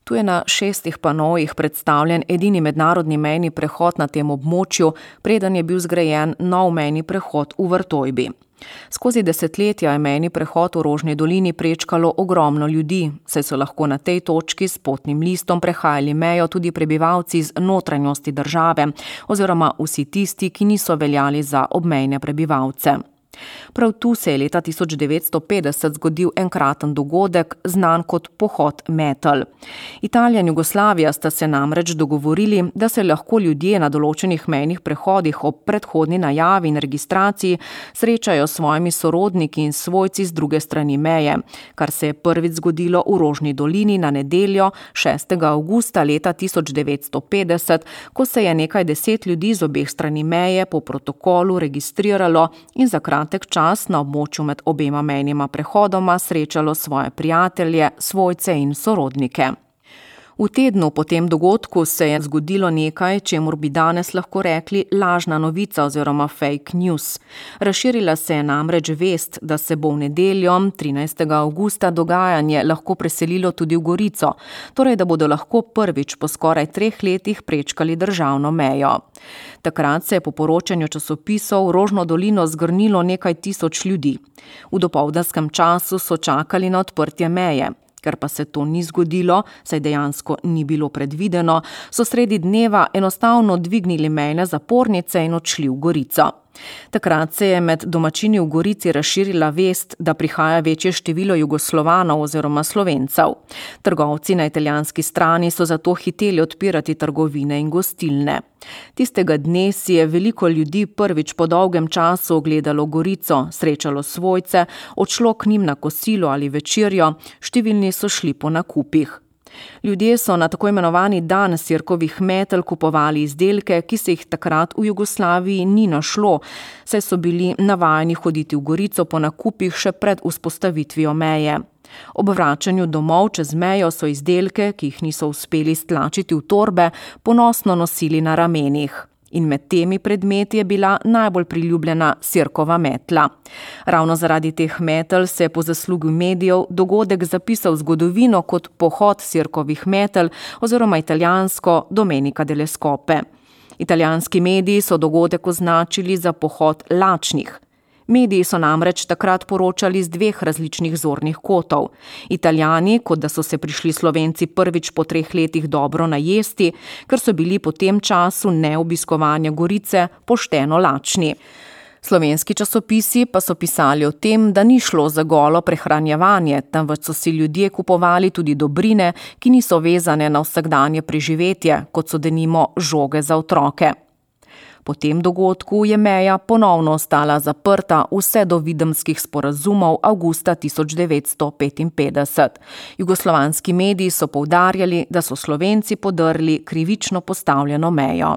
Tu je na 6 panovih predstavljen edini mednarodni mejni prehod na tem območju, preden je bil zgrajen nov mejni prehod v Vrtojbi. Skozi desetletja je mejni prehod v Rožni dolini prečkalo ogromno ljudi, saj so lahko na tej točki s potnim listom prehajali mejo tudi prebivalci iz notranjosti države oziroma vsi tisti, ki niso veljali za obmejne prebivalce. Prav tu se je leta 1950 zgodil enkraten dogodek, znan kot pohod Metelj. Italija in Jugoslavija sta se namreč dogovorili, da se lahko ljudje na določenih mejnih prehodih ob predhodni najavi in registraciji srečajo s svojimi sorodniki in svojci z druge strani meje, kar se je prvič zgodilo v Rožni dolini na nedeljo 6. avgusta leta 1950, ko se je nekaj 10 ljudi z obeh strani meje po protokolu registriralo in za kratek čas na območju med obema mejnima prehodoma srečalo svoje prijatelje, svojce in sorodnike. V tednu po tem dogodku se je zgodilo nekaj, čemur bi danes lahko rekli lažna novica oziroma fake news. Razširila se je namreč vest, da se bo v nedeljo 13. avgusta dogajanje lahko preselilo tudi v Gorico, torej da bodo lahko prvič po skoraj 3 letih prečkali državno mejo. Takrat se je po poročanju časopisov v Rožno dolino zgrnilo nekaj tisoč ljudi. V dopoldanskem času so čakali na odprtje meje. Ker pa se to ni zgodilo, saj dejansko ni bilo predvideno, so sredi dneva enostavno dvignili mejne zapornice in odšli v Gorico. Takrat se je med domačini v Gorici razširila vest, da prihaja večje število Jugoslovanov oziroma Slovencev. Trgovci na italijanski strani so zato hiteli odpirati trgovine in gostilne. Tistega dne si je veliko ljudi prvič po dolgem času ogledalo Gorico, srečalo svojce, odšlo k njim na kosilo ali večerjo, številni so šli po nakupih. Ljudje so na tako imenovani dan sirkovih metelj kupovali izdelke, ki se jih takrat v Jugoslaviji ni našlo, saj so bili navajeni hoditi v Gorico po nakupih še pred vzpostavitvijo meje. Ob vračanju domov čez mejo so izdelke, ki jih niso uspeli stlačiti v torbe, ponosno nosili na ramenih. In med temi predmeti je bila najbolj priljubljena sirkova metla. Ravno zaradi teh metelj se je po zaslugi medijev dogodek zapisal v zgodovino kot pohod sirkovih metelj oziroma italijansko Domenica delle Scope. Italijanski mediji so dogodek označili za pohod lačnih. Mediji so namreč takrat poročali z 2 različnih zornih kotov. Italijani, kot da so se prišli Slovenci prvič po 3 letih dobro najesti, ker so bili po tem času neobiskovanja Gorice pošteno lačni. Slovenski časopisi pa so pisali o tem, da ni šlo za golo prehranjevanje, temveč so si ljudje kupovali tudi dobrine, ki niso vezane na vsakdanje preživetje, kot so denimo žoge za otroke. Po tem dogodku je meja ponovno ostala zaprta vse do Videmskih sporazumov avgusta 1955. Jugoslovanski mediji so poudarjali, da so Slovenci podrli krivično postavljeno mejo.